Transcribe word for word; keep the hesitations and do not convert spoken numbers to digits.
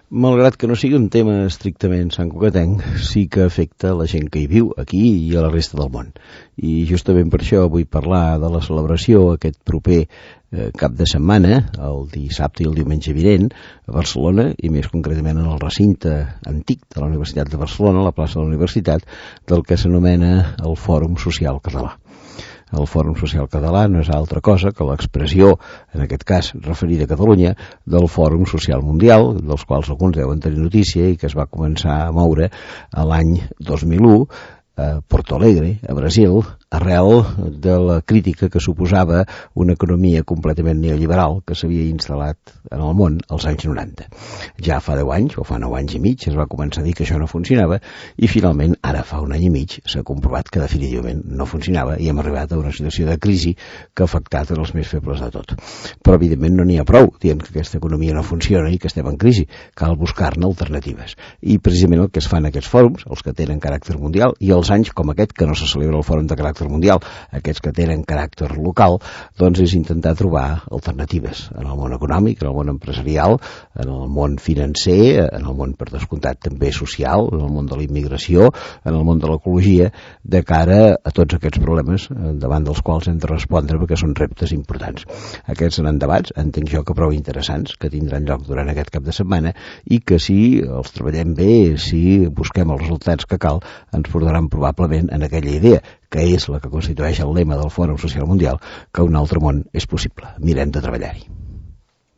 Malgrat que no sigui un tema estrictament santcugatenc, sí que afecta la gent que hi viu, aquí i a la resta del món. I justament per això vull parlar de la celebració aquest proper eh, cap de setmana, el dissabte i el diumenge vinent, a Barcelona, i més concretament en el recinte antic de la Universitat de Barcelona, la plaça de la Universitat, del que s'anomena el Fòrum Social Català. El Fòrum Social Català no és altra cosa que l'expressió, en aquest cas referida a Catalunya, del Fòrum Social Mundial, dels quals alguns deuen tenir notícia i que es va començar a moure a l'any dos mil u a Porto Alegre, a Brasil, arrel de la crítica que suposava una economia completament neoliberal que s'havia instal·lat en el món als anys noranta. Ja fa deu anys, o fa nou anys i mig, es va començar a dir que això no funcionava i finalment, ara fa un any i mig, s'ha comprovat que definitivament no funcionava i hem arribat a una situació de crisi que ha afectat els més febles de tot. Però evidentment no n'hi ha prou dient que aquesta economia no funciona i que estem en crisi. Cal buscar-ne alternatives. I precisament el que es fa en aquests fòrums, els que tenen caràcter mundial, i els anys com aquest, que no se celebra el fòrum de caràcter mundial, aquests que tenen caràcter local, doncs és intentar trobar alternatives en el món econòmic, en el món empresarial, en el món financer, en el món, per descomptat, també social, en el món de la immigració, en el món de l'ecologia, de cara a tots aquests problemes davant dels quals hem de respondre perquè són reptes importants. Aquests seran debats, entenc jo que prou interessants, que tindran lloc durant aquest cap de setmana i que si els treballem bé, si busquem els resultats que cal, ens portaran probablement en aquella idea, que és la que constitueix el lema del Fòrum Social Mundial, que un altre món és possible. Mirem de treballar-hi.